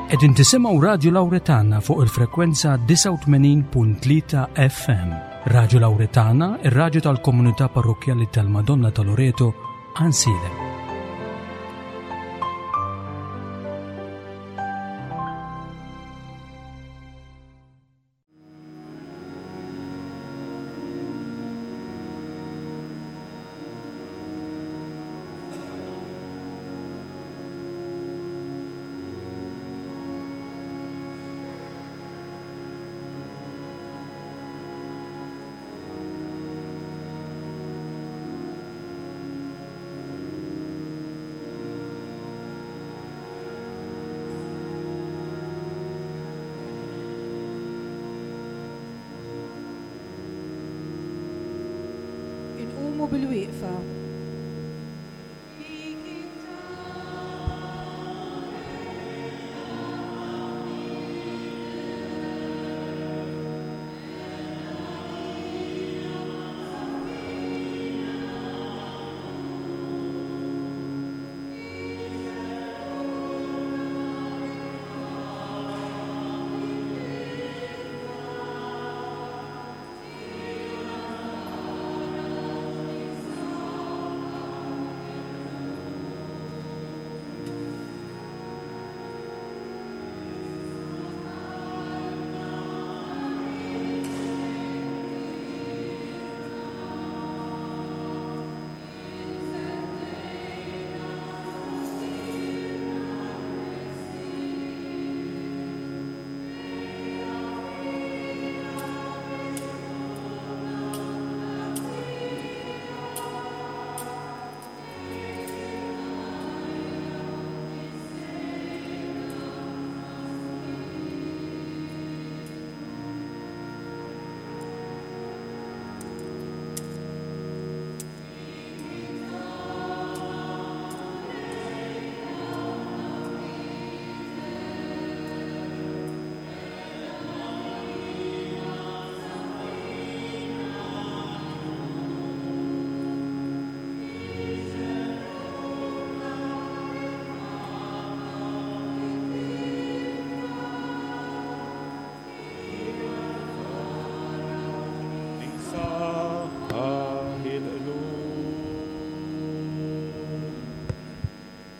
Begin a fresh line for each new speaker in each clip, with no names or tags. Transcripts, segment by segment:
Qegħdin tisimgħu Radju Lawretana fuq il-frekwenza 89.3 FM. Radju Lawretana, ir-radju tal-komunità parrokkjali tal-Madonna ta' Loreto, Ansiedem.
Inqumu bil-wieqfa.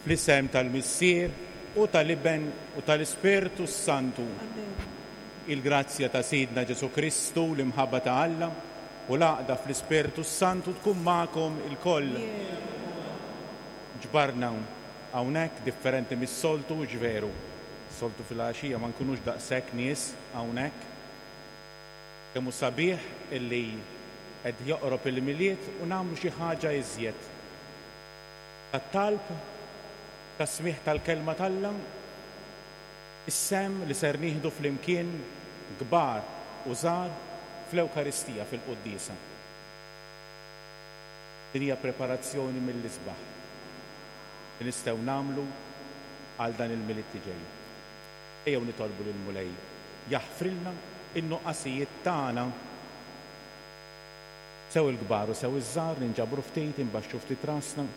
Fl-isem tal-Missier u tal-Iben u tal-Ispirtu s-Santu. Il-grazzja ta' Sidna Ġesù Kristu, l-imħabba ta' Alla u l-għaqda fl-Ispirtu s-Santu tkun magħkom ilkoll. Ġbarna hawnhekk differenti mis-soltu, hux veru? Soltu filgħaxija ma nkunux daqshekk nies hawnhekk. Kemm hu sabiħ illi qed joqrob il-Milied u nagħmlu xi ħaġa iżjed ta' talb, ta' smigħ tal-Kelma t'Alla, is-sehem li ser nieħdu flimkien kbar u żgħar fl-Ewkaristija fil-Quddiesa. Din hija preparazzjoni mill-isbaħ li nistgħu nagħmlu għal dan il-Milied li ġej. Ejjew nitolbu lill-Mulej jaħfrilna n-nuqqasijiet tagħna. Sew il-kbar u sew iż-żgħar ninġabru ftit, inbaxxu ftit rasna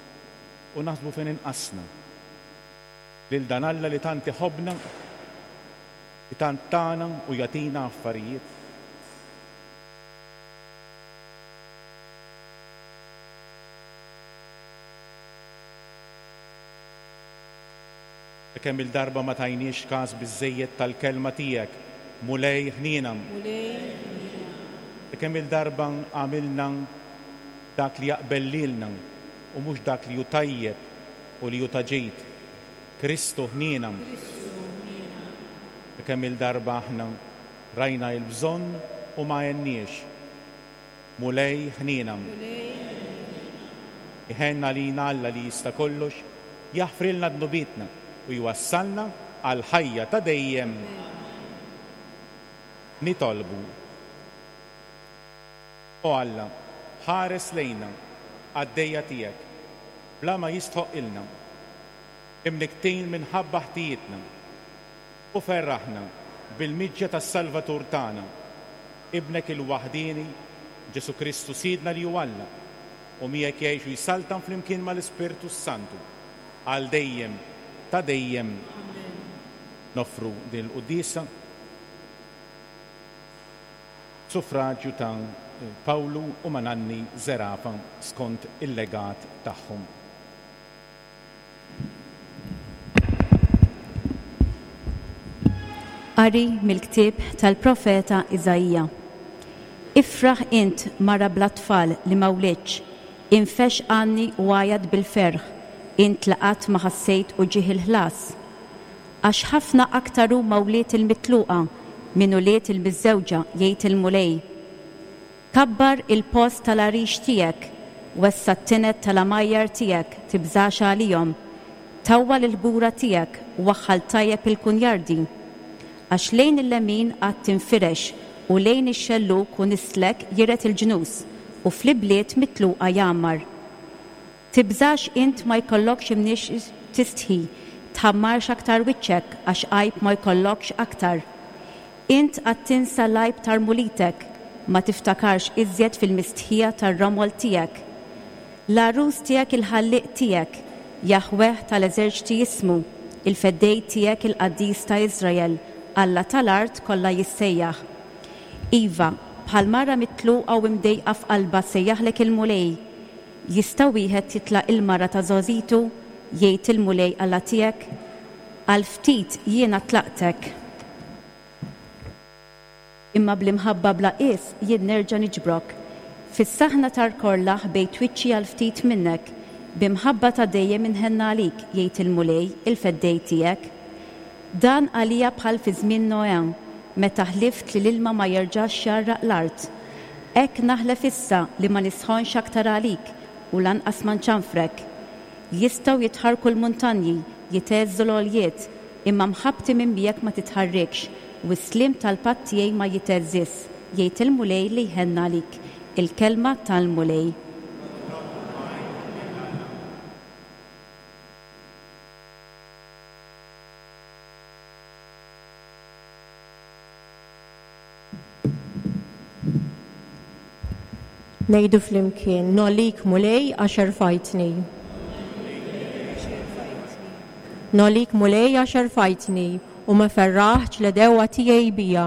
u naħsbu fejn inqasna. Lil dan Alla li tant iħobbna, li tant tana u jagħtina affarijiet. Kemm-il darba ma tajniex kas biżżejjed tal-kelma tiegħek, Mulej ħniena.
Mulej ħniena.
Kemm-il darba għamilna dak li jaqbel lilna u mhux dak li hu tajjeb u li hu ta' ġid, Kristu ħniena.
Kristu ħniena.
Kemm-il darba aħna rajna il-bżonn u ma għenniex, Mulej ħniena.
Mulej ħniena.
Iħenn għalina Alla li jista' kollox, jaħfrilna dnubietna u jwassalna għall-ħajja ta' dejjem. Nitolbu. O Alla, ħares lejna, qaddejja tiegħek, bla ma jistħoqqilna, imnikktin minħabba ħtijietna, u ferraħna bil-miġja tas-Salvatur tagħna, Ibnek il-waħdieni, Ġesù Kristu Sidna li hu Alla, u miegħek jgħix u jsaltan flimkien mal-Ispirtu s-Santu, għal dejjem ta' dejjem.
Amen.
Noffru din il-quddiesa b'suffraġju ta' Pawlu u Mananni Zerafa skont il-legat tagħhom.
Qari mill-ktieb tal-profeta Iżaija. Ifraħ int mara bla tfal li ma wlidtx, infexx għanni u għajat bil-ferħ, int li qatt ma ħassejt uġigħ il-ħlas. Għax ħafna aktar huma wlied il-mitluqa minn ulied il-miżżewġa, jgħid il-Mulej. Kabbar il-post tal-għarix tiegħek, wessa' t-tined tal-għamajjar tiegħek, tibżax għalihom. Tawwal il-ħbura tiegħek, waħħal tajjeb il-kunjardi. Għax lejn il-lemin għad tinfirex, u lejn ix-xellug u nislek jiret il-ġnus, u fl-ibliet mitluqa jgħammar. Tibżax int ma jkollokx imniex tistħi, tħammarx aktar wiċċek għax għajb ma jkollokx aktar. Int għad tinsa l-għajb ta' rmulitek, ma tiftakarx iżjed fil-mistħija tar-romol tiegħek. L-għarus tiegħek il-Ħallieq tiegħek, Jaħweh tal-eżerċti jismu, il-Feddej tiegħek il-Qaddis ta' Iżrael, Alla tal-art kollha jissejjaħ. Iva, bħal mara mitluqa u imdejqa f'qalbha sejjaħlek il-Mulej, Jista' wieħed jitlaq il-mara ta' żgħożitu? jgħid il-Mulej Alla tiegħek. Għal ftit jiena tlaqtek. Imma bl-imħabba bla qies jien nerġa' niġbrok. Fis-saħna tar-korla ħbejt wiċċi għal ftit minnek. Bi mħabba ta' dejjem inħenn għalik, jgħid il-Mulej, il-Feddej tiegħek. Dan għalija bħal fi żmien Noè, meta ħlift li l-ilma ma jerġax jgħarraq l-art. Hekk naħlef issa li ma nisħonx aktar għalik u lanqas ma nċanfrek. Jistgħu jitħarrku l-muntanji, jitgħeżżu l-għoljiet, imma mħabbti minn miegħek ma titħarrikx, u s-sliem tal-patt tiegħi ma jitgħeżżiż, jgħid il-Mulej li jħenn għalik. Il-kelma tal-Mulej.
Ngħidu flimkien, Nogħlik Mulej għax erfajtni. Nogħlik Mulej għax erfajtni u ma ferraħtx l-għedewwa tiegħi bija.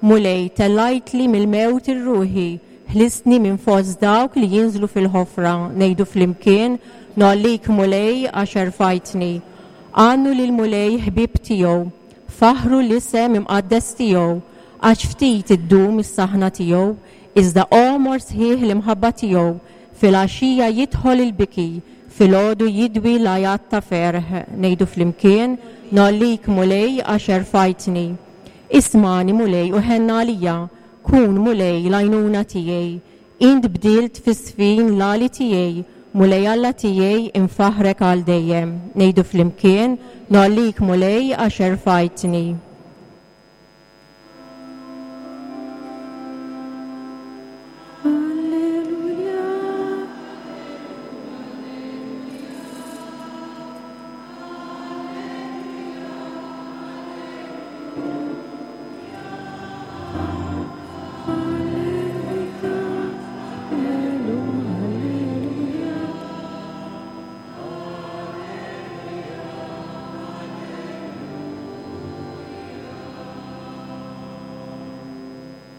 Mulej, tellajtli mill-mewt ir-ruħi, ħlistni minn fost dawk li jinżlu fil-ħofra. Ngħidu flimkien, Nogħlik Mulej għax erfajtni. Għannu lill-Mulej ħbieb tiegħu. Faħħru l-isem imqaddes tiegħu, għax ftit iddum is-saħna tiegħu, iżda għomor sħiħ l-imħabba tiegħu, filgħaxija jidħol il-biki, filgħodu jidwi l-għajat ta' ferħ. Ngħidu flimkien, Ngħollik, Mulej, għax erfajtni. Ismagħni, Mulej, u ħenn għalija, kun, Mulej, l-għajnuna tiegħi. Int bdilt fis-sfin l-għali tiegħi, Mulej Alla tiegħi, infaħħrek għal dejjem. Ngħidu flimkien, Ngħollik, Mulej, għax erfajtni.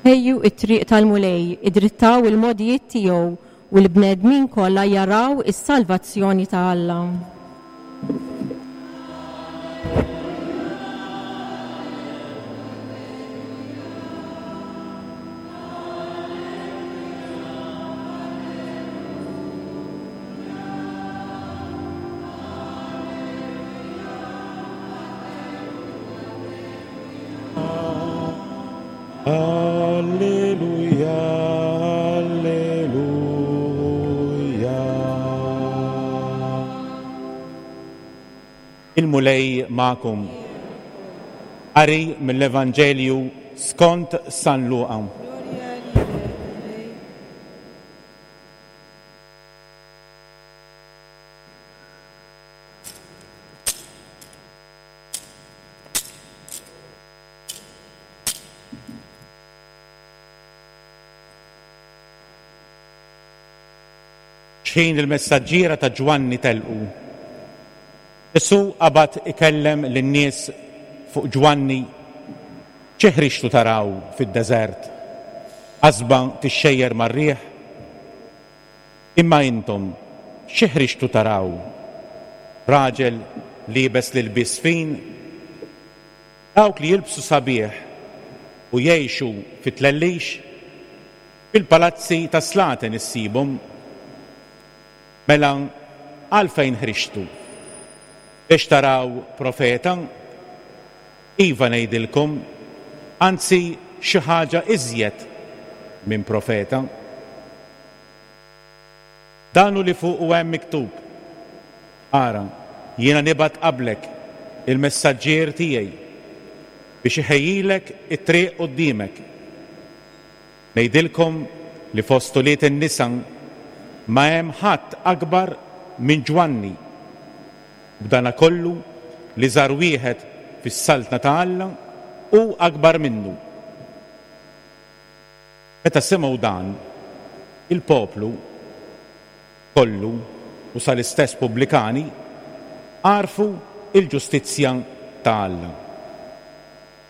Ħejju t-triq tal-Mulej, idrittaw il-mogħdijiet tiegħu, u l-bnedmin kollha jaraw is-salvazzjoni ta' Alla.
Alleluja, Alleluja. Il-Mulej magħkom. Qari mill-Evanġelju skont San Luqa. Xħin il-messaġġiera ta' Ġwanni telqu, Ġesù qabad ikellem lin-nies fuq Ġwanni, Xi ħriġtu taraw fid-deżert? Qasba tixxejjer mar-riħ? Imma intom xi ħriġtu taraw? Raġel liebes l-ilbies fin? Dawk li jilbsu sabiħ u jgħixu fit-tlellix, fil-palazzi tas-slaten issibhom. Mela għalfejn ħriġtu? Biex taraw profeta? Iva ngħidilkom, anzi xi ħaġa iżjed minn profeta. Dan hu li fuqu hemm miktub, Ara, jiena nibgħat qablek il-messaġġier tiegħi biex iħejjilek it-triq quddiemek. Ngħidilkom li fost ulied in-nisa ma hemm ħadd akbar minn Ġwanni. B'danakollu l-iżgħar wieħed fis-Saltna ta' Alla hu akbar minnu. Meta semgħu dan, il-poplu kollu u sal-istess pubblikani għarfu l-ġustizzja ta' Alla,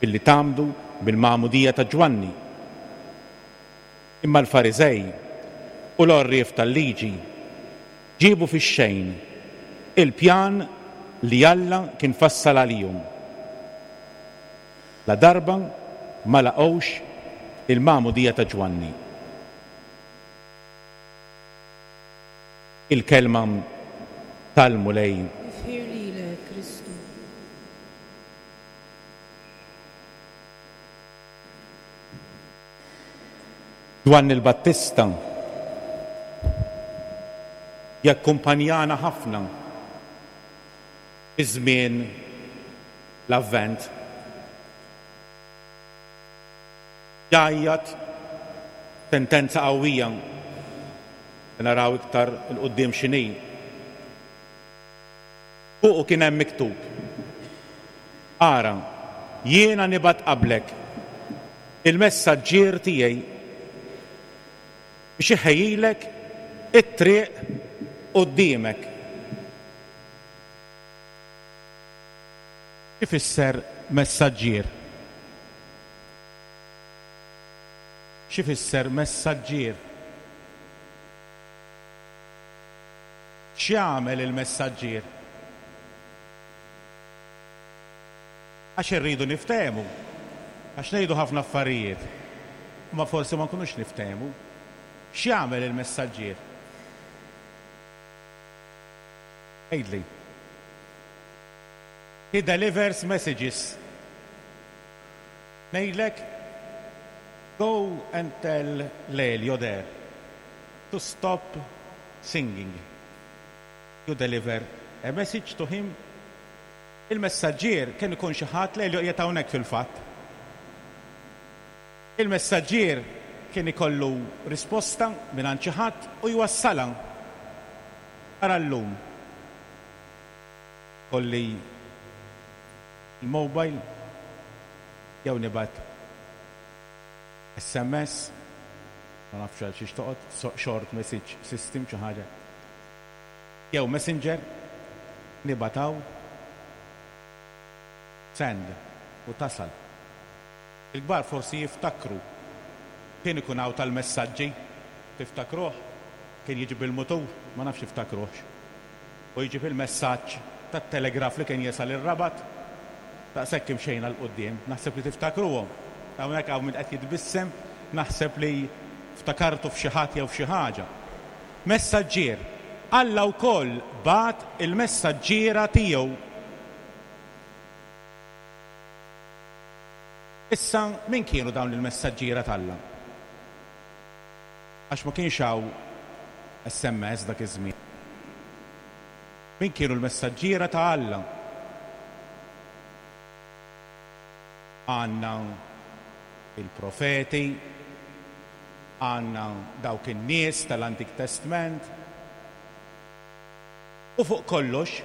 billi tgħammdu bil-magħmudija ta' Ġwanni. Imma l-Fariżej u l-għorrief tal-liġi ġiebu fix-xejn il-pjan li Alla kien fassal għalihom, ladarba ma laqgħux il-magħmudija ta' Ġwanni. Il-Kelma tal-Mulej.
Tifħir lilek, Kristu.
Ġwanni l-Battista jakkumpanjana ħafna fi żmien l-Avvent. Jgħajjat sentenza qawwija li naraw iktar 'il quddiem x'inhi. Fuqu kien hemm miktub, Ara, jiena nibgħat qablek il-messaġġier tiegħi biex iħejjilek it-triq quddiemek. X'ifisser messaġġier? X'ifisser messaġġier? X'jagħmel il-messaġġier? Għax irridu niftehmu. Għax ngħidu ħafna affarijiet, imma forsi ma nkunux niftehmu. X'jagħmel il-messaġġier? Għidli. He delivers messages. Ngħidlek, go and tell Lelio there to stop singing. You deliver a message to him. Il-messaġġier kien ikun xi ħadd, Lelio qiegħed hawnhekk fil-fatt. Il-messaġġier kien ikollu risposta mingħand xi ħadd u jwassalha. Ara llum. Kolli l-mobile jew nibgħat SMS, ma nafx għal xiex toqgħod, short message system xi ħaġa. Jew messenger, nibgħat hawn, send, u tasal. Il-kbar forsi jiftakru kien ikun hawn tal-messaġġi, tiftakruh? Kien jiġi bil-mutur, ma nafx tiftakruhx. U jġib il-messaġġ tat-telegraf li kien jasal ir-Rabat. Daqshekk imxejna 'l quddiem. Naħseb li tiftakruhom. Hawnhekk hawn min qed jitbissem, naħseb li ftakartu f'xi ħadd jew f'xi ħaġa. Messaġġier. Alla wkoll bagħat il-messaġġiera tiegħu. Issa, min kienu dawn il-messaġġiera t'Alla? Għax ma kienx hawn SMS dak iż-żmien. Min kienu l-messaġġiera ta' Alla? Għandna il-profeti, għandna dawk in-nies tal-Antik Testment, u fuq kollox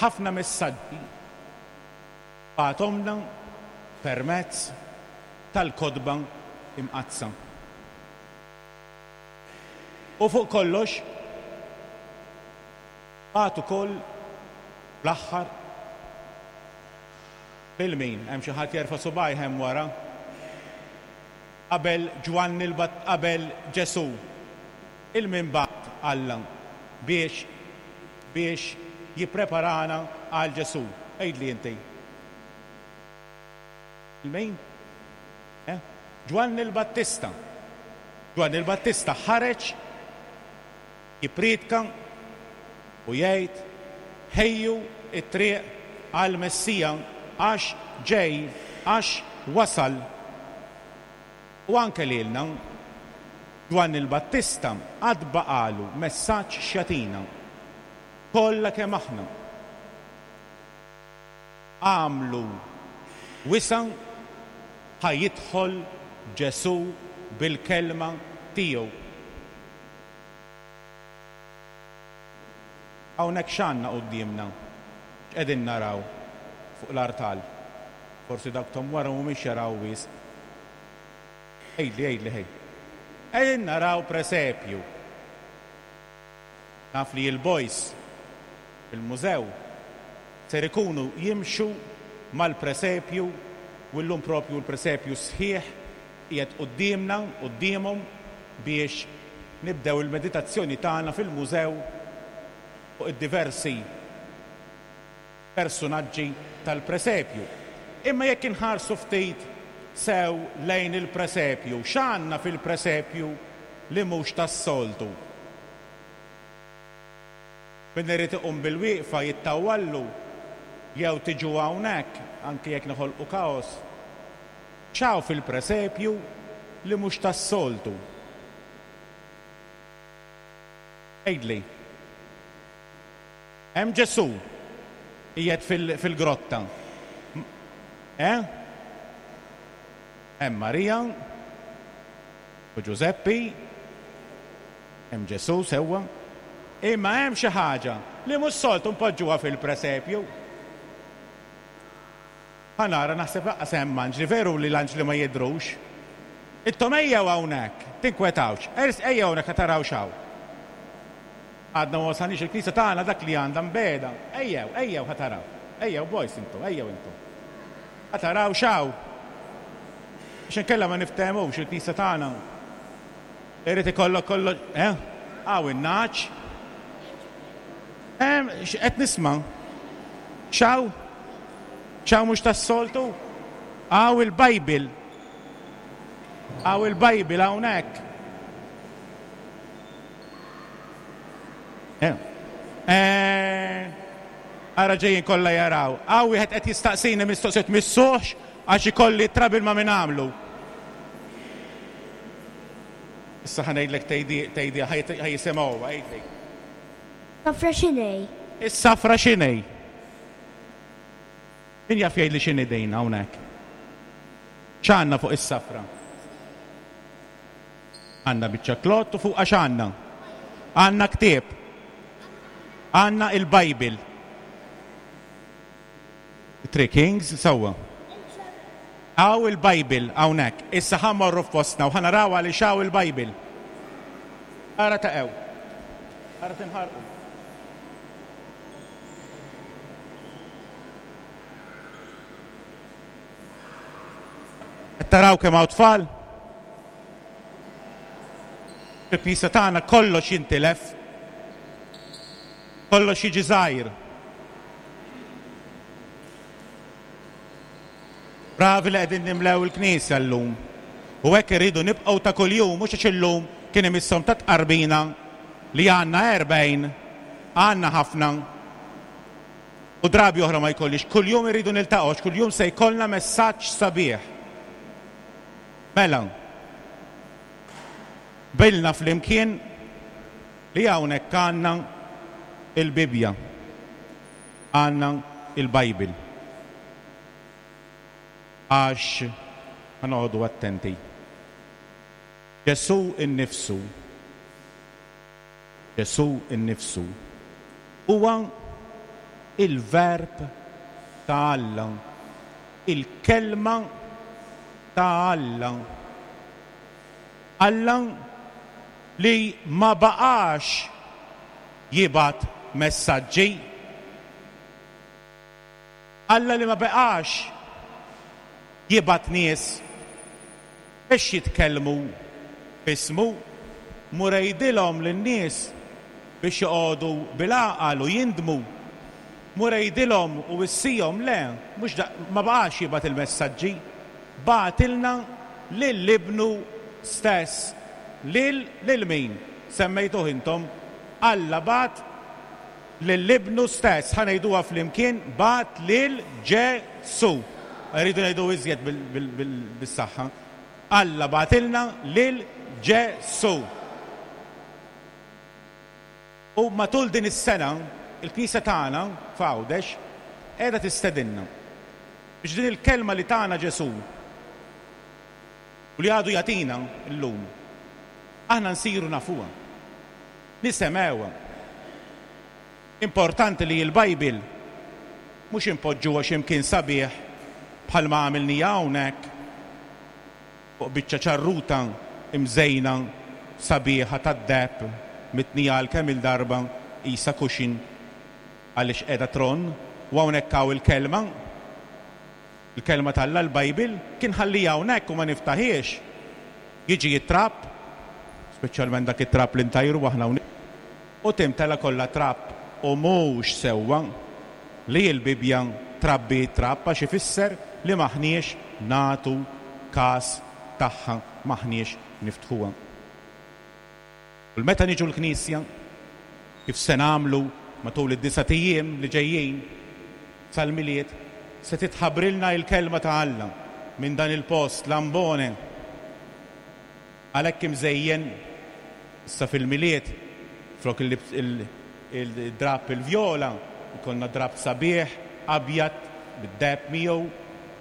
ħafna messaġġi bagħathomlna permezz tal-Kotba Imqaddsa. U fuq kollox bagħat ukoll fl-aħħar. Lil min? Hemm xi ħadd jerfa' subgħajh hemm wara? Qabel Ġwanni l-Batt qabel Ġesù, 'il min bagħat Alla biex biex jippreparana għal Ġesù? Għidli inti. 'Il min? Eh? Ġwanni l-Battista. Ġwanni l-Battista ħareġ jippriedka u jgħid, Ħejju t-triq għall-Messija għax ġej, għax wasal. U anke lilna, Ġwanni l-Battista għad baqagħlu messaġġ x'jagħtina, kollha kemm aħna. Agħmlu wisa' ħa jidħol Ġesù bil-kelma tiegħu. Hawnhekk x'għandna quddiemna? X'qegħdin naraw fuq l-artal? Forsi dawk t'hemm wara mhumiex jaraw wisq. Għidli, għidli ħej. Qegħdin naraw presepju. Naf li l-boys fil-mużew ser ikunu jimxu mal-presepju u llum propju l-presepju sħiħ qiegħed quddiemna, quddiemhom biex nibdew il-meditazzjoni tagħna fil-mużew fuq id-diversi persunaġġi tal-presepju. Imma jekk inħarsu ftit sew lejn il-presepju, x'għandna fil-presepju li mhux tas-soltu? Min irid iqum bil-wieqfa jittawwallu jew tiġu hawnhekk, anki jekk noħolqu kaos. X'hawn fil-presepju li mhux tas-soltu? Għidli. Hemm Ġesù qiegħed fil-grotta. Eh? Hemm Marija u Ġużeppi, hemm Ġesù sewwa. Imma hemm xi ħaġa li mhux soltu npoġġuha fil-presepju. Ħa nara, naħseb lanqas hemm anġli, veru li l-anġli ma jidhrux. Intom ejjew hawnhekk, tinkwetawx, ejjew hawnhekk ħa taraw x'hawn. Għadna ma wasalniex il-knisja tagħna dak li għandha mbegħda. Ejjew, ejjew ħa taraw. Ejjew boys intom, ejjew intom. Ħa taraw x'hawn. Għax inkella ma niftehmux il-knisja tagħna. Irid ikollok kollox, eh? Hawn in-nagħaġ. Qed nisma'. X'hawn? X'hawn mhux tas-soltu? Hawn il-Bible. Hawn il-Bible hawnhekk. Eh. Eh. Ara ġejjin kollha jaraw. Hawn wieħed qed jistaqsini mistoqsijiet missuħx għax ikolli trabil ma' min għamlu. Issa ħa ngħidlek tgħidi tgħidi ħa jisimgħu għidli.
Safra x'inhi?
Is-safra x'inhi? Min jaf jgħidli x'inhi din hawnhekk? X'għandna fuq is-safra? Għandna biċċa klott u fuqha x'għandna? Għandna ktieb. Għandna il-Bible. Three Kings, sewwa. Hawn il-Bible hawnhekk. Issa ħa mmorru f'postna u ħa naraw għaliex hawn il-Bible. Ara taqgħu. Ara tinħarqu. Qed taraw kemm hawn tfal? Fil-knisja tagħna kollox jintilef. Kollox jiġi żgħir. Bravi li qegħdin nimlew il-knisja llum. U hekk irridu nibqgħu ta' kuljum mhux għax illum kien imisshom ta' tqarbina li għandna 40, għandna ħafna. U drabi oħra ma jkollix. Kuljum irridu niltaqgħu għax kuljum se jkollna messaġġ sabiħ. Mela, qbilna flimkien li hawnhekk għandna il-Bibbja, għandna il-Bible. Għax ħa noqogħdu attenti. Ġesù nnifsu, Ġesù nnifsu huwa il-Verb ta' Alla, il-Kelma ta' Alla. Alla li ma baqax jibgħat messaġġi. Alla li ma beqax. jibgħat nies biex jitkellmu f'ismu. Mur għidilhom lin-nies biex joqogħdu bil-għaqal u jindmu. Mur għidilhom u wissihom, le, mhux da, ma baqax jibgħat il-messaġġi. Bagħtilna lil Ibnu stess. Lil, lil min? Semmejtuh intom. Alla bagħat lil Ibnu stess. Ħa ngħiduha flimkien, bagħat lil Ġesù. Irridu ngħidu iżjed bis-saħħa. Alla bagħtilna lil Ġesù. U matul din is-sena, il-Knisja tagħna f'Għawdex qiegħda tistedinna biex din il-kelma li tana Ġesù u li għadu jagħtina llum, aħna nsiru nafuha, nisemgħuha. Importanti li l-Bible mhux inpoġġuha xi mkien sabiħ bħalma għamilniha hawnhekk fuq biċċa ċarruta mżejna sabiħa tad-deheb mitnija għal kemm-il darba qisha cushion għaliex qiegħda tronn u hawnhekk hawn il-Kelma, il-Kelma t'Alla, l-Bible, kien ħalliha hawnhekk u ma niftaħhiex, jiġi t-trab, speċjalment dak it-trab li ntajru aħna hawnhekk, u timtela kollha trab u mhux sewwa li l-Bibbja trabbi t-trab għax ifisser li m'aħniex nagħtu kas tagħha, m'aħniex niftħuha. U meta niġu l-knisja, kif se nagħmlu matul id-disat ijiem li ġejjin sal-Milied, se titħabbrilna il-Kelma ta' Alla minn dan il-post, l-ambone. Għalhekk imżejjen, issa fil-Milied, flok il-drapp il-vjola, jkollna drapp sabiħ, abjad, bid-deheb miegħu,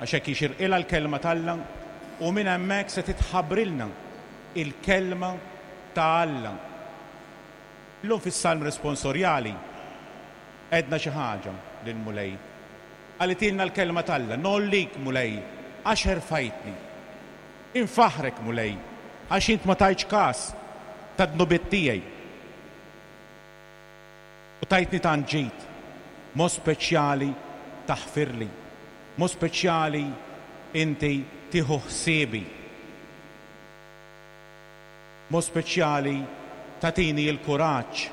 għax hekk jixirqilha l-Kelma t'Alla, u minn hemmhekk se titħabbrilna il-Kelma ta' Alla. Illum fis-Salm Responsorjali għedna xi ħaġa lill-Mulej. Qalitilna l-Kelma t'Alla, Ngħollik, Mulej, għax erfajtni. Infaħħrek, Mulej, għax int ma tajtx kas tad-dnubiet tiegħi u tajtni tant ġid, mod speċjali taħfirli, mod speċjali inti tieħu ħsiebi. B'mod speċjali tagħtini l-kuraġġ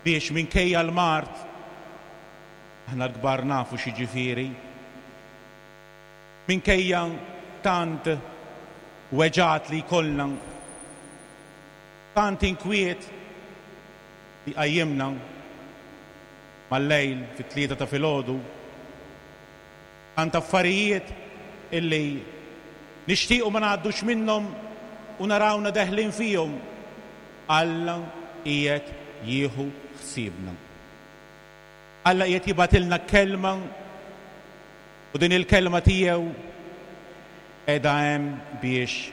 biex minkejja l-mard, aħna l-kbar nafu x'jiġifieri, minkejja tant weġgħat li jkollna, tant inkwiet li jqajjimna mal-lejl fit-tlieta ta' filgħodu, Tant affarijiet illi nixtiequ ma ngħaddux minnhom u narawna deħlin fihom, Alla qiegħed jieħu ħsiebna. Alla qiegħed jibgħatilna kelma u din il-kelma tiegħu qiegħda hemm biex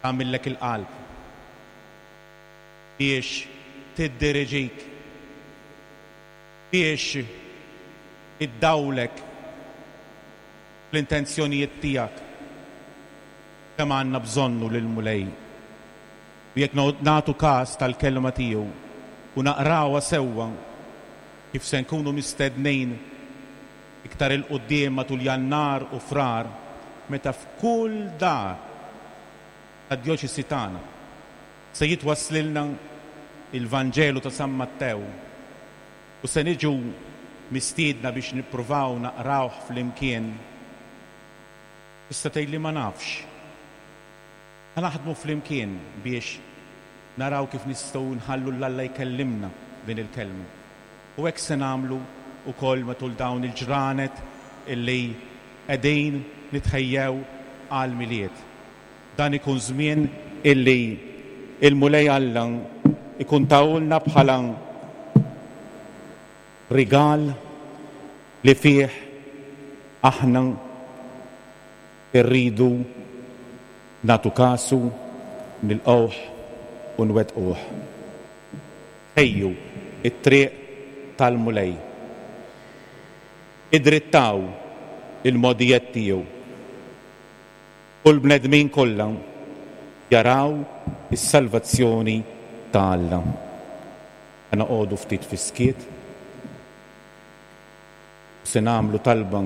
tagħmillek il-qalb, biex tiddiriġik. Biex iddawlek fl-intenzjonijiet tiegħek. Kemm għandna bżonnu lill-Mulej! U jekk nagħtu kas tal-Kelma tiegħu u naqrawha sewwa, kif se nkunu mistednin iktar 'il quddiem matul Jannar u Frar meta f'kull dar tad-djoċesi tagħna se jitwasslilna l-Vanġelu ta' San Mattew u se niġu mistiedna biex nippruvaw naqrawh flimkien. Tista' tgħidli ma nafx. Ħa naħdmu flimkien biex naraw kif nistgħu nħallu 'l Alla jkellimna din il-Kelma. U hekk se nagħmlu wkoll matul dawn il-ġranet illi qegħdin nitħejjew għall-Milied. Dan ikun żmien illi l-Mulej Alla jkun tahulna bħala rigal li fih aħna rridu nagħtu kasu, nilqgħuh u nwettquh. Ħejju t-triq tal-Mulej. Idrittaw il-mogħdijiet tiegħu. U l-bnedmin kollha jaraw is-salvazzjoni ta' Alla. Ħa noqogħdu ftit fis-skiet. Se nagħmlu talba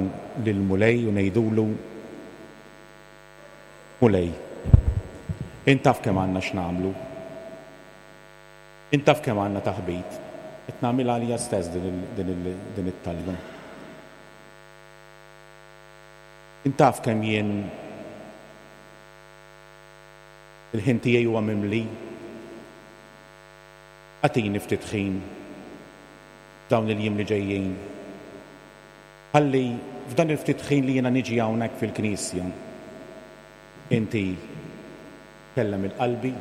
lill-Mulej u ngħidulu, Mulej, int taf kemm għandna x'nagħmlu. Int taf kemm għandna taħbit. Qed nagħmilha għalija stess din it-talba. Int taf kemm jien il-ħin tiegħi huwa mimli. Agħtini ftit ħin f'dawn il-jiem li ġejjin. Ħalli f'dan il-ftit ħin li jiena niġi hawnhekk fil-knisja, inti tkellem 'il qalbi,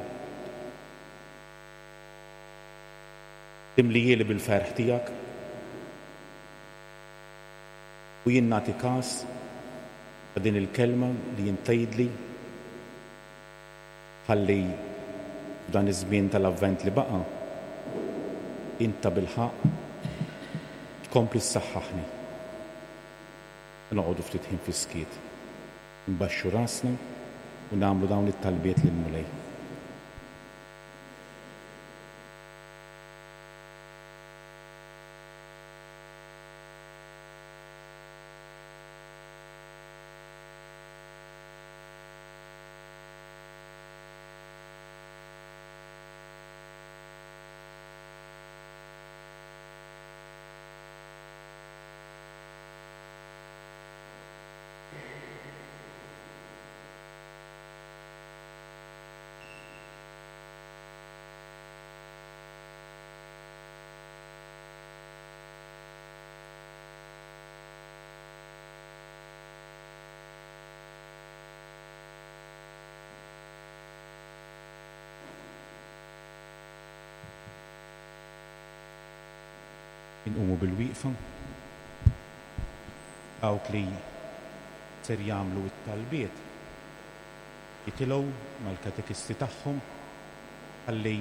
timlihieli bil-ferħ tiegħek u jien nagħti kas ta' din il-kelma li int tgħidli Ħalli f'dan iż-żmien tal-Avvent li baqa', int tabilħaqq tkompli ssaħħaħni. Noqogħdu ftit ħin fis-skiet, inbaxxu rasna u nagħmlu dawn it-talbiet lill-Mulej. Inqumu bil-wieqfa. Dawk li ser jagħmlu t-talbiet jitilgħu mal-katekisti tagħhom ħalli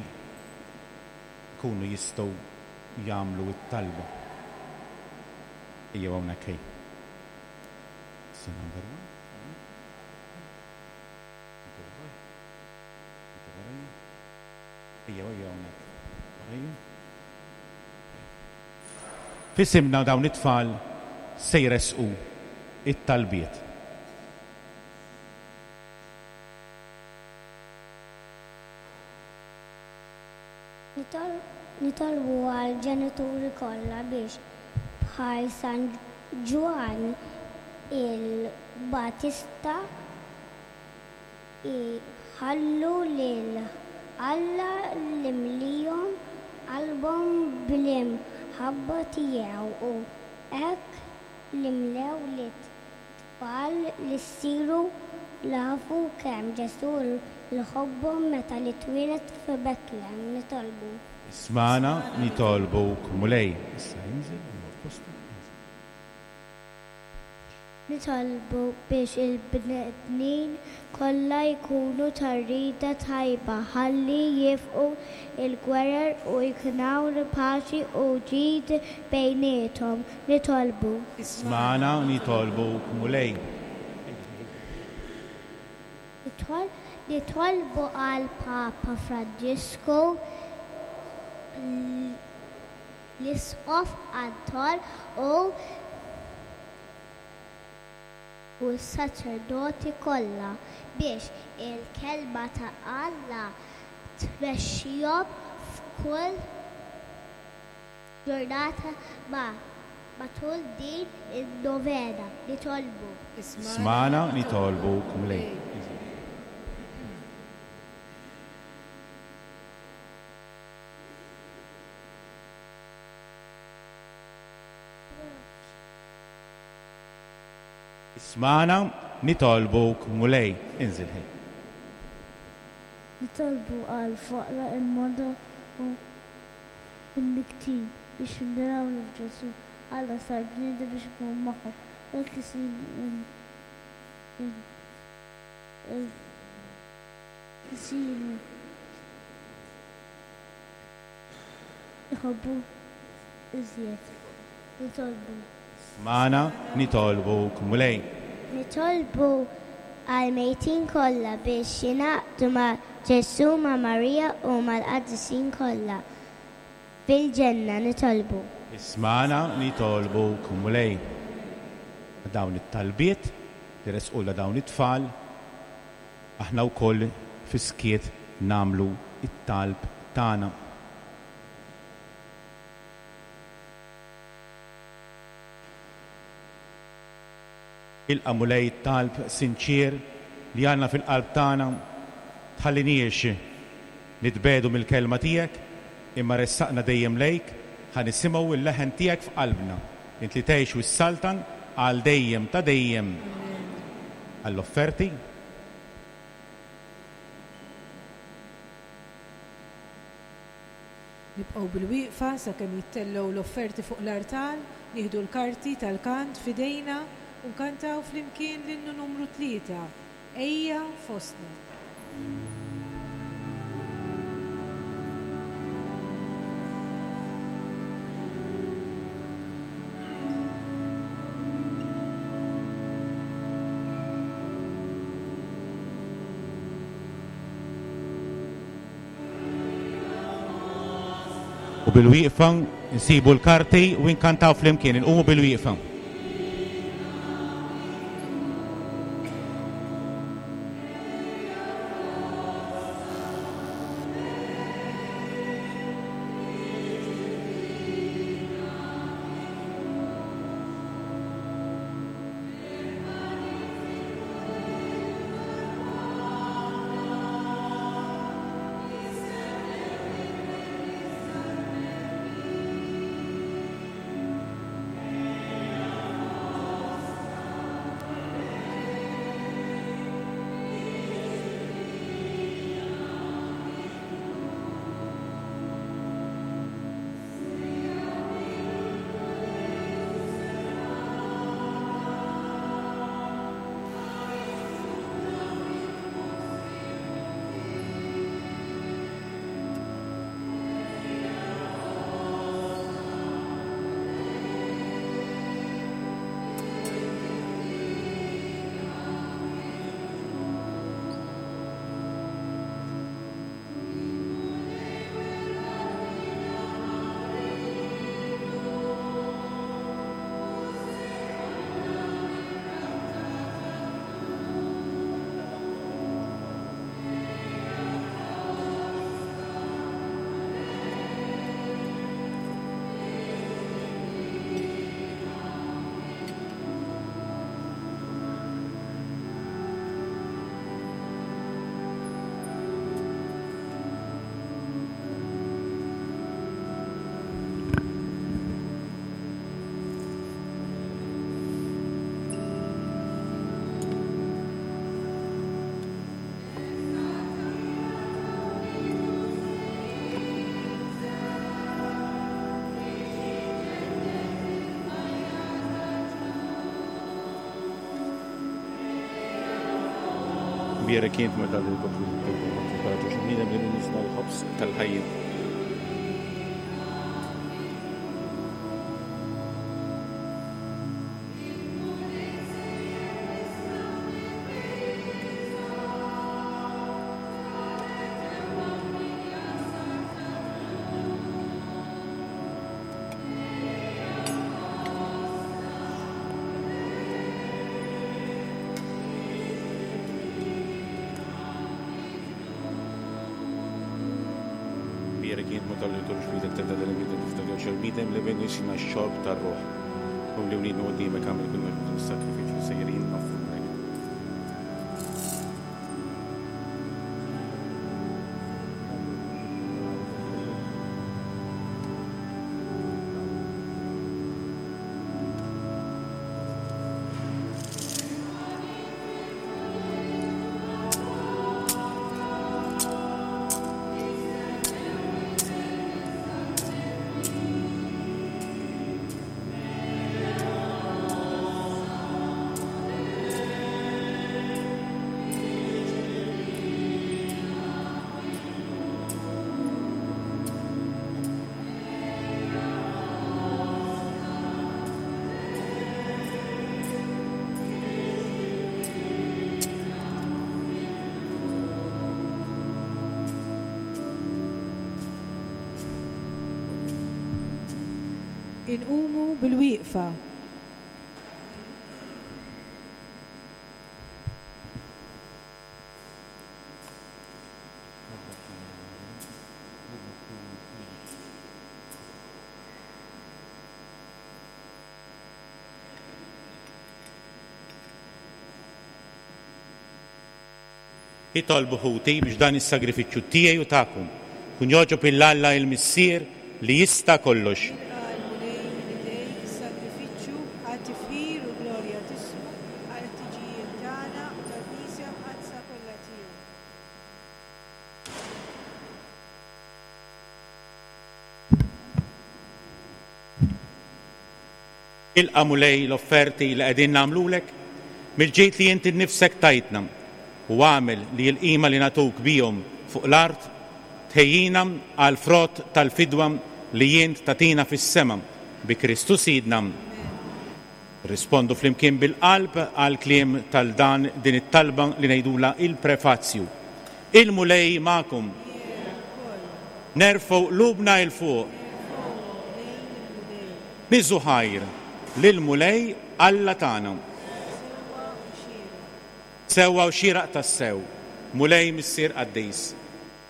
jkunu jistgħu jagħmlu t-talba. Ejjew hawnhekk ej. Number one. Ejjew, ejjew hawnhekk. Warajja. F'isimna dawn it-tfal se jressqu t-talbiet.
Nitolbu għall-ġenituri kollha biex bħal San Ġwann il-Battista jħallu lil Alla jimlihom qalbhom bl-imħabba tiegħu u hekk jimlew lit-tfal li jsiru jafu kemm Ġesù jħobbhom meta li twieled f'Betlem. Nitolbu.
Ismagħna, nitolbuk, Mulej. Issa inżel, imur postu, inżel.
Nitolbu biex il-bnedmin kollha jkunu ta' rieda tajba ħalli jieqfu l-gwerer u jkun hawn paċi u ġid bejniethom. Nitolbu.
Ismagħna, nitolbuk, Mulej.
Nitolbu għall-Papa Franġisku, l-Isqof Anton u u s-saċerdoti kollha biex il-Kelma ta' Alla tmexxihom f'kull ġurnata ma' matul din in-novena. Nitolbu.
Ismagħna, nitolbuk, Mulej. Ismagħna, nitolbuk, Mulej. Inżil ħej.
Nitolbu għall-foqra, il-morda u l-mniktin biex jindunaw li f'Ġesù Alla sar bniedem biex ikun magħhom u hekk isiru Iħobbu iżjed. Nitolbu.
Ismagħna, nitolbuk, Mulej.
Nitolbu għall-mejtin kollha biex jingħaqdu ma' Ġesù, ma' Marija u mal-qaddisin kollha fil-ġenna. Nitolbu.
Ismagħna, nitolbuk, Mulej. dawn it-talbiet li ressqulna dawn it-tfal, aħna wkoll fis-skiet nagħmlu t-talb tagħna. Ilqa' Mulej it-talb sinċier li għandna fil-qalb tagħna, tħalliniex nitbiegħdu mill-Kelma tiegħek, imma ressaqna dejjem lejk ħa nisimgħu l-leħen tiegħek f'qalbna, int li tgħix u ssaltan għal dejjem ta' dejjem. Għall-offerti.
Nibqgħu bilwieqfa sakemm jittellgħu l-offerti fuq l-artal, nieħdu l-karti tal-kant f'idejna u nkantaw flimkien l-innu numru tlieta, Ejja Fostna.
U bilwieqfa nsibu l-karti u nkantaw flimkien, inqumu bilwieqfa. Bierek int meta bniedem li min jisna l-ħobż tal-ħajja. Bierek int meta li tkunx bidek tibda li bidek tiftakar xi bniedem li min jisna x-xorb tar-ruħ. U li wliedna quddiemek għamel kull ma is-sakrifiċċju sejrin noffrulek.
Inqumu bilwieqfa.
Itolbu ħuti biex dan is-sagrifiċċju tiegħi u tagħkom ikun jogħġob 'il Alla il-Missier li jista' kollox.
Jilqa' l-Mulej minn idejk is-sagrifiċċju għat-tifħir u l-glorja t'ismu, għall-ħtiġijiet tagħna u tal-Knisja Mqaddsa kollha tiegħu.
Ilqa' Mulej l-offerti li qegħdin nagħmlulek mill-ġid li int innifsek tajtna u agħmel li l-qima li nagħtuk bihom fuq l-art tħejjina għall-frott tal-fidwa li int tagħtina fis-sema bi Kristu Sidna. Nirrispondu flimkien bil-qalb għall-kliem tal dan din it-talba li ngħidulha il-prefazju. Il-Mulej magħkom. Nerfgħu qlubna 'il fuq. Niżżu ħajr lill-Mulej Alla tagħna. Sewwa u xieraq tassew, Mulej Missier qaddis,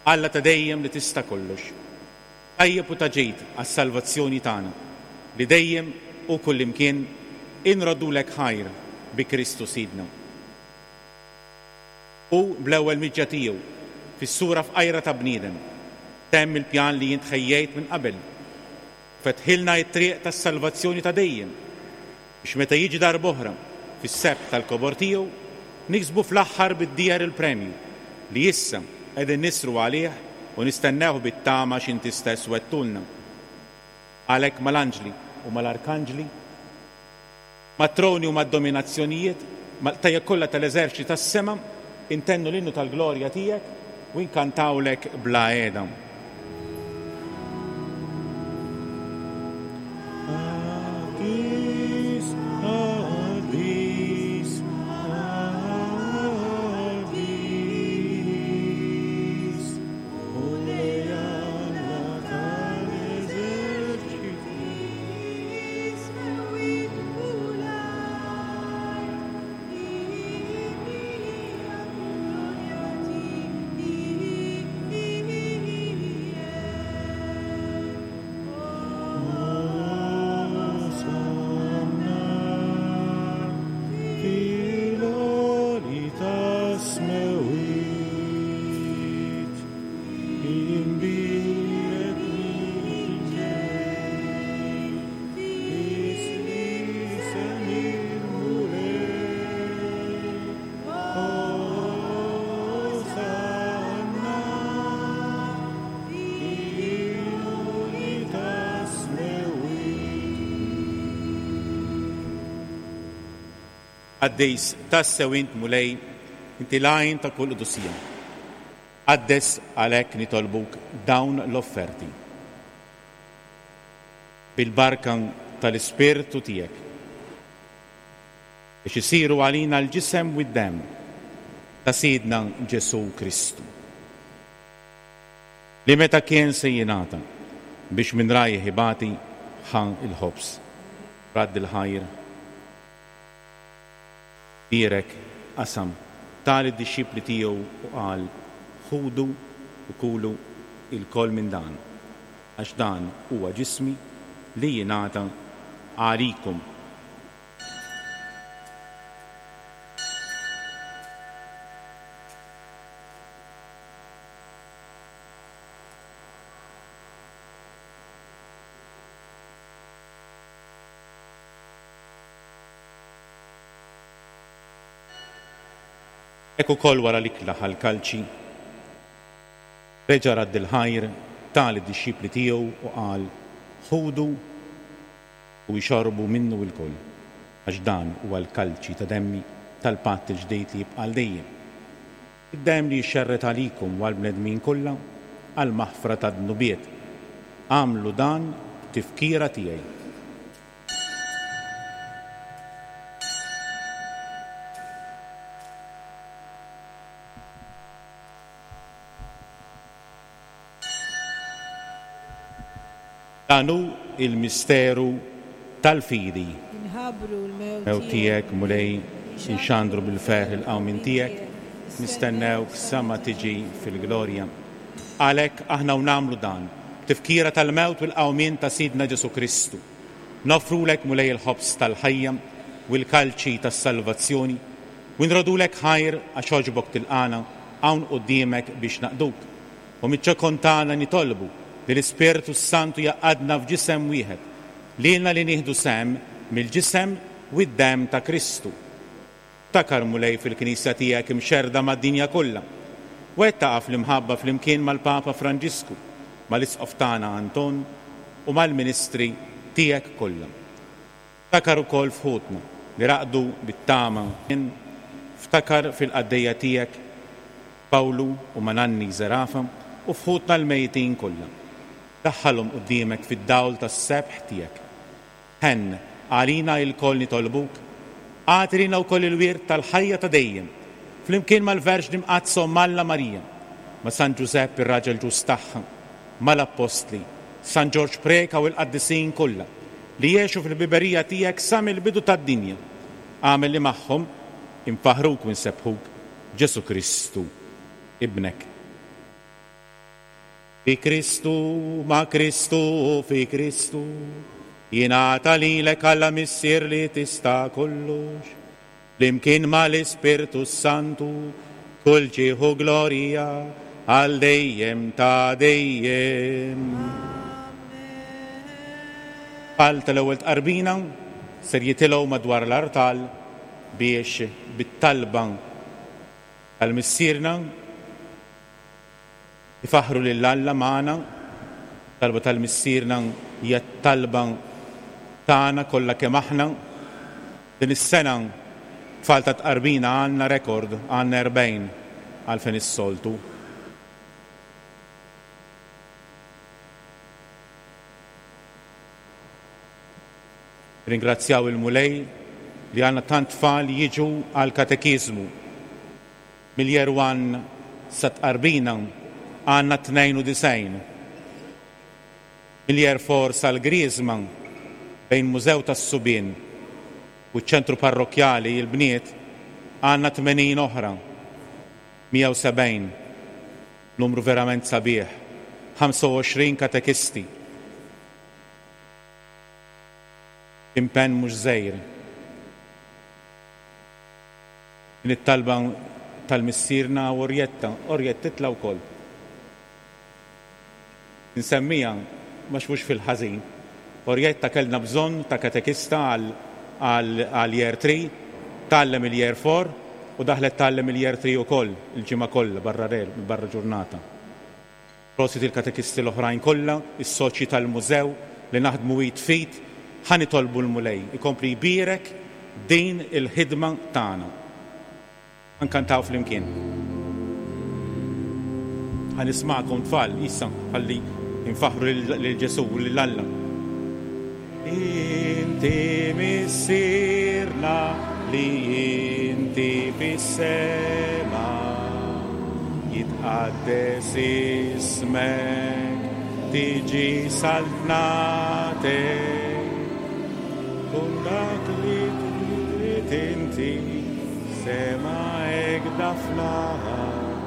Alla ta' dejjem li tista' kollox. Tajjeb u ta' ġid għas-salvazzjoni tagħna, li dejjem u kullimkien inroddulek ħajr bi Kristu Sidna. Hu, bl-ewwel miġja tiegħu, fis-sura fqajra ta' bniedem, temm il-pjan li int ħejjejt minn qabel Fetħilna t-triq tas-salvazzjoni ta' dejjem, biex meta jiġi darb'oħra fis-sebħ tal-kobor tiegħu, niksbu fl-aħħar bid-dieher il-premju, li issa qegħdin nisru għalih u nistennewh bit-tama x'inti stess wegħdtulna. Għalhekk mal-anġli u mal-arkanġli, mat-troni u mad-dominazzjonijiet, mal-qtajja kollha tal-eżerċti tas-sema, intennu l-innu tal-glorja tiegħek u nkantawlek bla heda. Qaddis, qaddis, qaddis, Mulej Alla tal-eżerċiti. Osanna fil-għoli tas-smewwiet, imbierek min ġej. Qaddis tassew int Mulej, inti l-għajn ta' kull qdusija. Qaddes għalhekk nitolbuk dawn l-offerti. Bil-barka tal-Ispirtu tiegħek. Biex isiru għalina l-ġisem u d-demm ta' Sidna Ġesù Kristu. Li meta kien se jingħata biex minn rajh ibati ħa l-ħobż, radd il-ħajr, bierek, qasam, ta lid-dixxipli tiegħu u qal, Ħudu u kulu ilkoll minn dan. Għax dan huwa ġismi li jingħata għalikom. Hekk ukoll wara l-ikla ħa l-kalċi. Reġa' radd il-ħajr, ta lid-dixxipli tiegħu u qal, Ħudu u ixorbu minnu ilkoll, għax dan huwa l-kalċi ta' demmi tal-patt il-ġdid li jibqa' għal dejjem, id-demm li jixxerred għalikom u għall-bnedmin kollha għall-maħfra tad-dnubiet. Agħmlu dan b'tifkira tiegħi. Dan hu l-misteru tal-fidi.
Inħabbru l-mewt
Mewt tiegħek, Mulej, inxandru bil-ferħ il-qawmien tiegħek, nistennewk sa ma tiġi fil-glorja. Għalhekk aħna u nagħmlu dan, b'tifkira tal-mewt u l-qawmien ta' Sidna Ġesù Kristu, noffrulek, Mulej, il-ħobż tal-ħajja u l-kalċi tas-salvazzjoni, u nrodulek ħajr għax għoġbok tilqagħna. hawn quddiemek biex naqduk. U miċ-ċokon tagħna nitolbu li l-Ispirtu s-Santu jgħaqqadna f'ġisem wieħed, lilna li nieħdu sehem mill-ġisem u d-demm ta' Kristu. Ftakar, Mulej, fil-Knisja tiegħek imxerrda mad-dinja kollha. Wettaqha fl-imħabba flimkien mal-Papa Franġisku, mal-Isqof tagħna Anton u mal-ministri tiegħek kollha. Ftakar ukoll f'ħutna li raqdu bit-tama. Ftakar fil-qaddejja tiegħek Pawlu u Mananni Zerafa u f'ħutna l-mejtin kollha. Daħħalhom quddiemek fid-dawl tas-sebħ tiegħek. Ħenn għalina ilkoll nitolbuk, agħti lilna wkoll il-wirt tal-ħajja ta' dejjem, flimkien mal-Verġni Mqaddsa Omm Alla Marija, ma' San Ġużepp ir-raġel ġust tagħha, mal-Appostli, San Ġorġ Preca u l-qaddisin kollha, li għexu fil-ħbiberija tiegħek sa mill-bidu tad-dinja. Agħmel li magħhom infaħħruk u nsebbħuk, Ġesù Kristu, Ibnek. Bi Kristu, ma' Kristu u fi Kristu, jingħata lilek Alla Missier li tista' kollox, flimkien ma' l-Ispirtu s-Santu, kull ġieħ u glorja għal dejjem ta' dejjem. Tfal tal-Ewwel Tqarbina ser jitilgħu madwar l-artal biex bit-talba tal-Missierna Ifaħħru lil Alla magħna. Talba tal-Missierna hija t-talba tagħna kollha kemm aħna. Din is-sena tfal ta' tqarbina għandna rekord, għandna 40 għalfejn is-soltu. Ringrazzjaw il-Mulej li għandna tant tfal jiġu għall-katekiżmu. Mill-Year One sat-Tqarbina għandna 92. Mill-Year Four sal-Griżma, bejn Mużew tas-Subien u ċ-Ċentru Parrokkjali, il-bniet, għandna 80 oħra. 170. Numru verament sabiħ. 25 katekisti. Impenn mhux żgħir. Din it-talba tal-Missierna u Orjetta, Orjett titla' wkoll. Insemmiha għax mhux fil-ħażin. Orjetta kellna bżonn ta' katekista għal Year 3, tgħallem il-Year 4 u daħlet tgħallem il-Year 3 ukoll il-ġimgħa kollha barra barra ġurnata. Prosit il-katekisti l-oħrajn kollha, is-soċji tal-mużew li naħdmu id f'id, ħa nitolbu l-Mulej ikompli jbierek din il-ħidma tagħna. Ħa nkantaw flimkien. Ħa nismagħkom tfal issa ħalli nfaħħru lil Ġesù u lil Alla. Inti Missierna li inti fis-sema, jitqaddes ismek, tiġi saltnatek, kun dak li trid inti, sema hekda fl-art.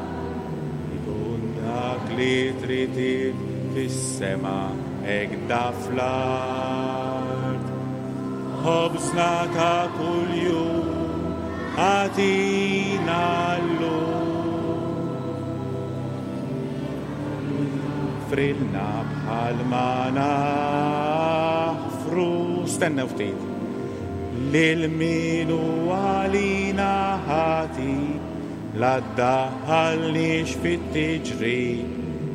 Ikun dak li trid int fis-sema hekda fl-art. Ħobżna ta' kuljum agħtina llum. Aħfrilna bħalma naħfru. Stennew ftit. Lil min hu għalina ħati. La ddaħħalniex fit-tiġrib,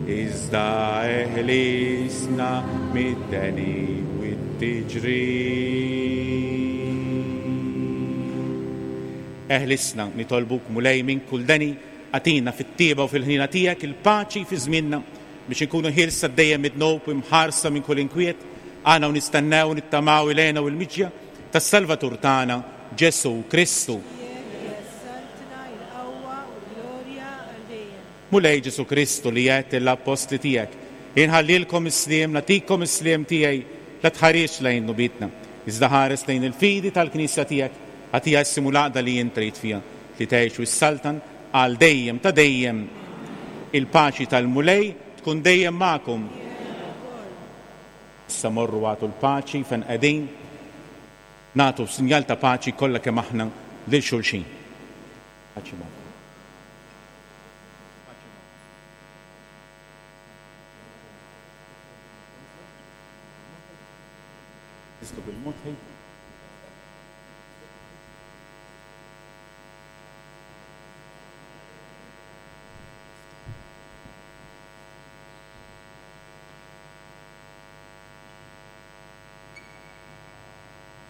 iżda eħlisna mid-deni u t-tiġrib. Eħlisna, nitolbuk, Mulej, minn kull deni, agħtina fit-tjieba u fil-ħniena tiegħek il-paċi fi żmienna, biex inkunu ħielsa dejjem mid-dnub u imħarsa minn kull inkwiet, aħna u nistennew u nittamaw il-hena u l-miġja tas-Salvatur tagħna, Ġesù Kristu.
Tiegħek hija s-saltna, il-qawwa u l-glorja għal dejjem.
Mulej Ġesù Kristu li għedt lill-appostli tiegħek, Inħallilkom is-sliem, nagħtikom is-sliem tiegħi, la tħarisx lejn dnubietna, iżda ħares lejn il-fidi tal-Knisja tiegħek, agħtiha s-sliem u l-għaqda li int trid fiha, li tgħix u ssaltan għal dejjem ta' dejjem. Il-paċi tal-Mulej tkun dejjem magħkom. Issa morru agħtu l-paċi fejn qegħdin. Nagħtu sinjal ta' paċi kollha kemm aħna lil xulxin. Paċi magħkom. Niżlu bil-mod ħej.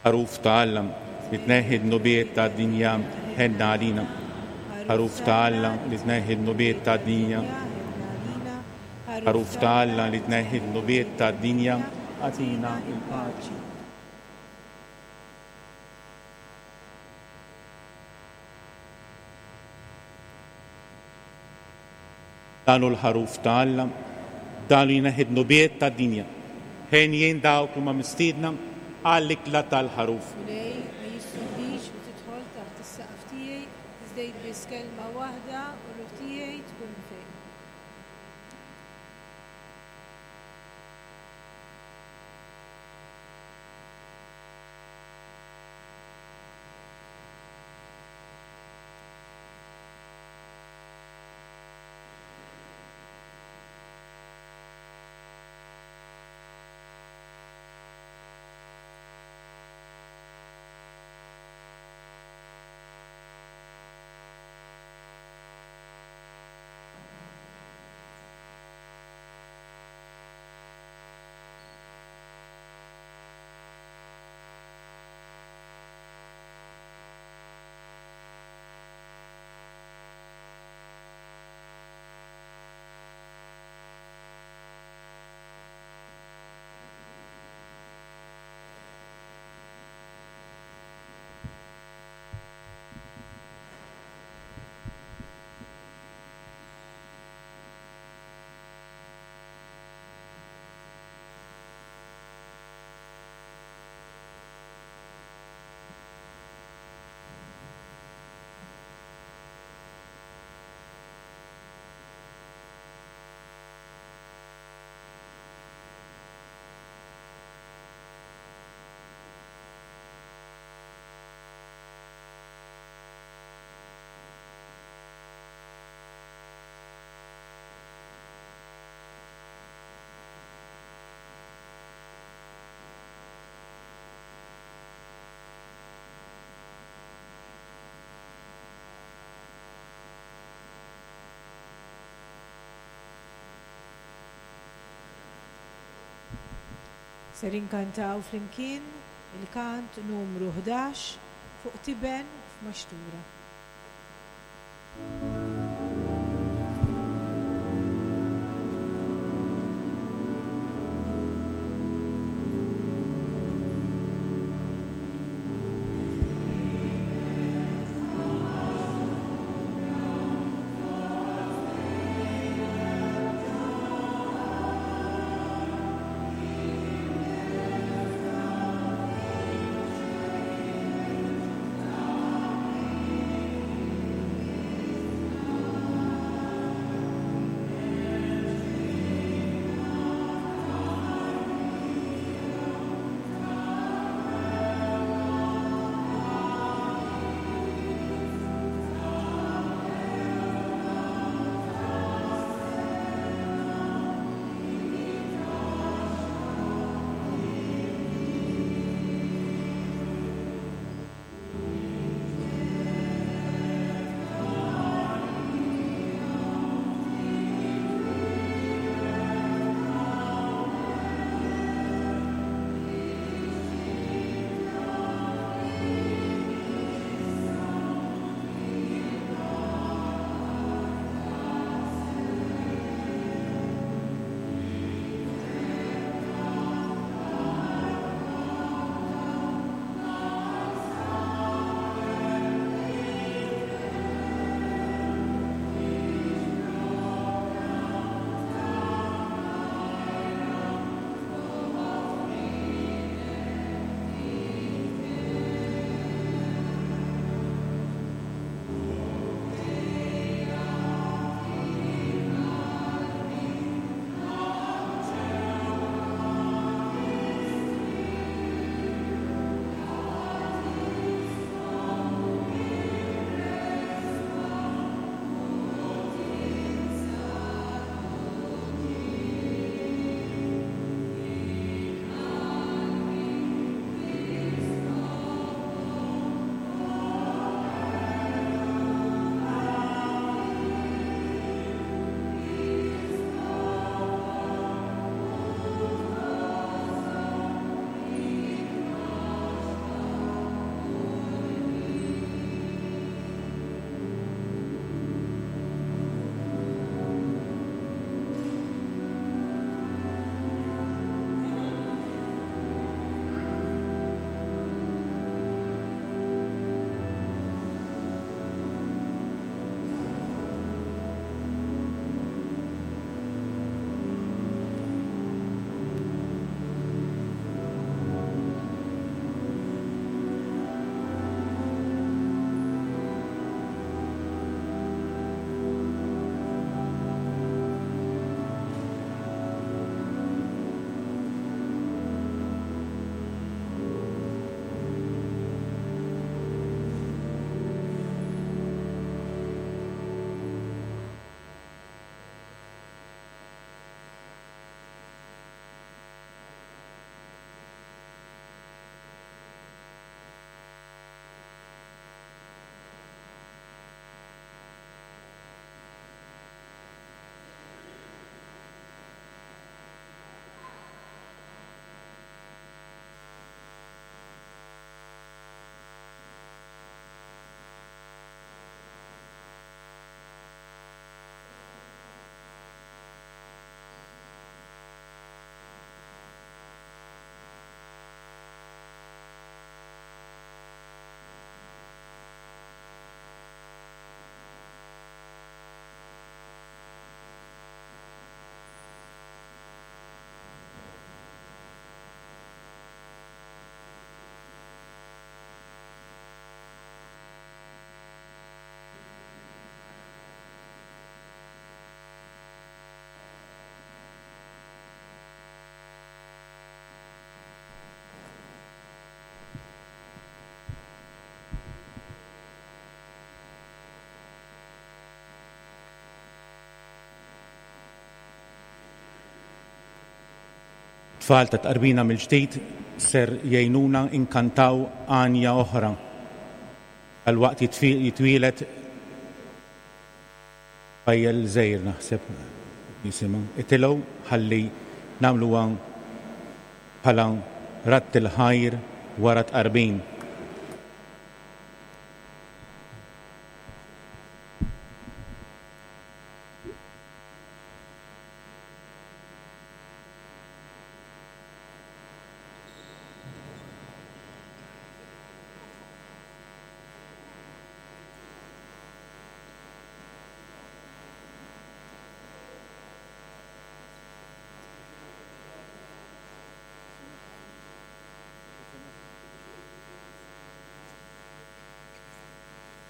Ħaruf ta' Alla, li tneħħi d-dnubiet tad-dinja, ħenna għalina. Ħaruf ta' Alla, li tneħħi d-dnubiet tad-dinja. Ħaruf ta' Alla, li tneħħi d-dnubiet tad-dinja, agħtina l-paċi. Dan hu l-Ħaruf ta' Alla, dan li jneħħi d-dnubiet tad-dinja. Henjin dawk li huma mistiedna għall-ikla tal-Ħaruf.
Mulej, ma jistħoqqlix li tidħol taħt is-saqaf tiegħi, iżda għid biss kelma waħda u r-ruħ tiegħi tkun mfejqa. Ser inkantaw flimkien il-kant numru 11 fuq tiben f'maxtura.
Tfal ta' tqarbina mill-ġdid ser jgħinuna nkantaw għanja oħra. Dalwaqt jitwieled tfajjel żgħir naħseb jisimha. Itilgħu ħalli nagħmluha bħala radd il-ħajr wara tqarbin.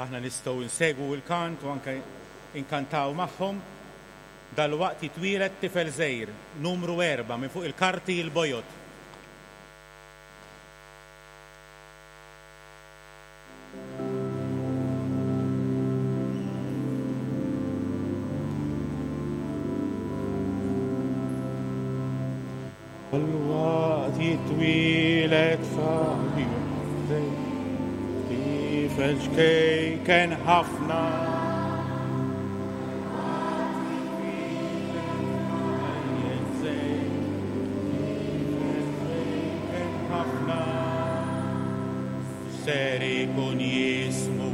Aħna nistgħu nsegwu l-kant u anke nkantaw magħhom. Dalwaqt jitwieled tifel żgħir, numru erbgħa minn fuq il-karti l-bojod. Dalwaqt jitwieled tifel ċkejken ħafna. Ser ikun jismu,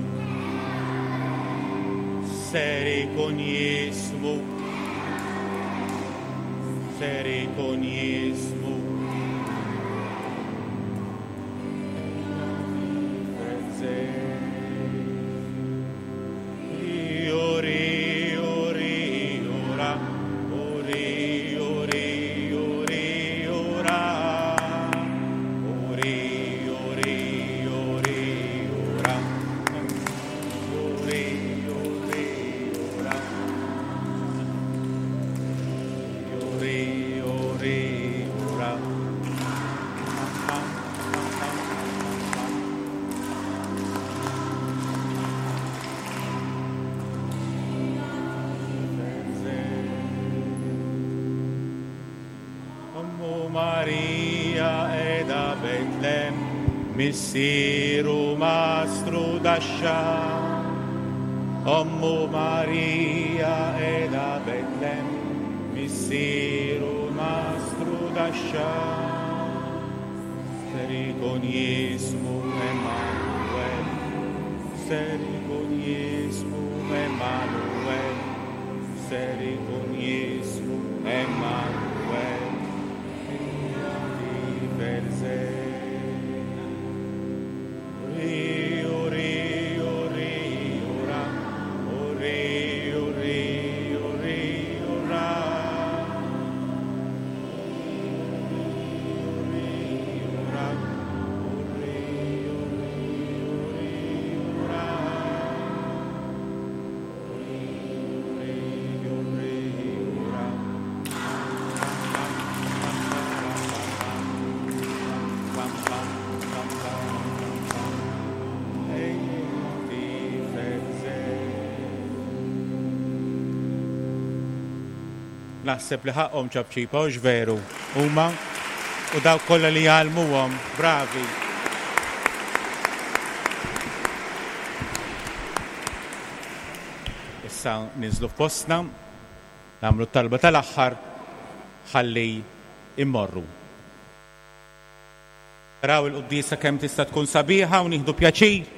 ser ikun jismu. Ser ikun jismu. Marija qiegħda Betlem, missieru mastru daxxa. Ommu Marija qiegħda Betlem, missieru mastru daxxa. Ser ikun jismu Emmanuel, ser ikun jismu Emmanuel, ser ikun jismu Emmanuel. Naħseb li ħaqqhom ċapċipa, hux veru? Huma u dawk kollha li jgħallmuhom, bravi. Issa ninżlu f'postna, nagħmlu t-talba tal-aħħar ħalli immorru. Raw il-quddiesa kemm tista' tkun sabiħa u nieħdu pjaċir.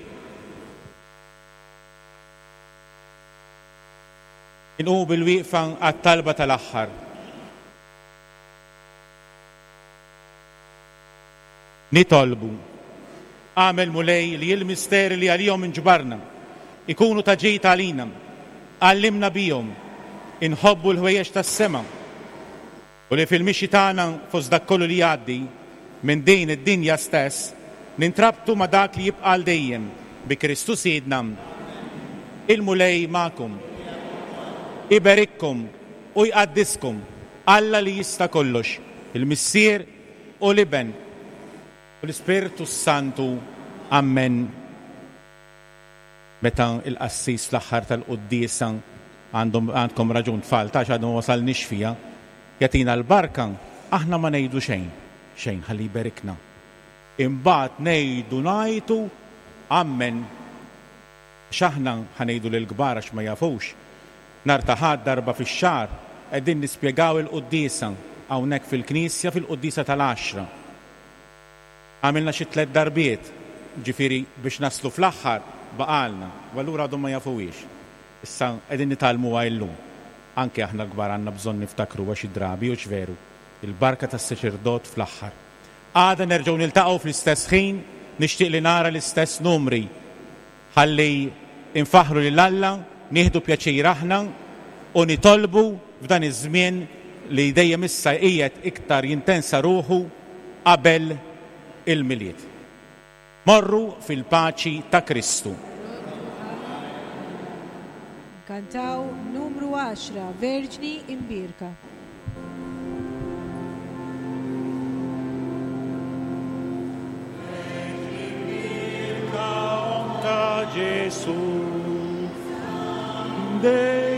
Inqumu bil-wieqfa għat-talba tal-aħħar. Nitolbu. Agħmel, Mulej, li l-misteri li għalihom inġbarna ikunu ta' ġid għalina. Għallimna bihom inħobbu l-ħwejjeġ tas-sema u li fil-mixi tagħna fost dak kollu li jgħaddi minn din id-dinja stess nintrabtu ma' dak li jibqa' għal dejjem, bi Kristu Sidna. Il-Mulej magħkom. Iberikkom u jqaddiskom Alla li jista' kollox, il-Missier u l-Iben u l-Ispirtu s-Santu. Ammen. Meta l-qassis fl-aħħar tal-quddiesa, għandhom għandkom raġun tfal, ta' għax għadna ma wasalniex fiha, jagħtina l-barka. Aħna ma ngħidu xejn, xejn ħalli jberikna. Imbagħad ngħidu ngħajtu Ammen. Għax aħna, ħa ngħidu lill-kbar għax ma jafux, nhar ta' Ħadd darba fix-xahar qegħdin nispjegaw il-quddiesa hawnhekk fil-knisja fil-quddiesa tal-għaxra. Għamilna xi tlett darbiet, ġifieri biex naslu fl-aħħar baqgħalna, u allura għadhom ma jafuhiex. Issa qegħdin nitgħallmuha illum. Anke aħna l-kbar għandna bżonn niftakruha xi drabi, hux veru? Il-barka tas-saċerdot fl-aħħar. Għada nerġgħu niltaqgħu fl-istess ħin, nixtieq li nara l-istess numri. Ħalli nfaħħru lil Alla, nieħdu pjaċir aħna u nitolbu f'dan iż-żmien li dejjem issa qiegħed iktar jintensa ruħu qabel il-Milied. Morru fil-paċi ta' Kristu.
Nkantaw numru għaxra, Verġni Imbierka.
Verġni Imbierka, Omm ta' Ġesù, dejjem.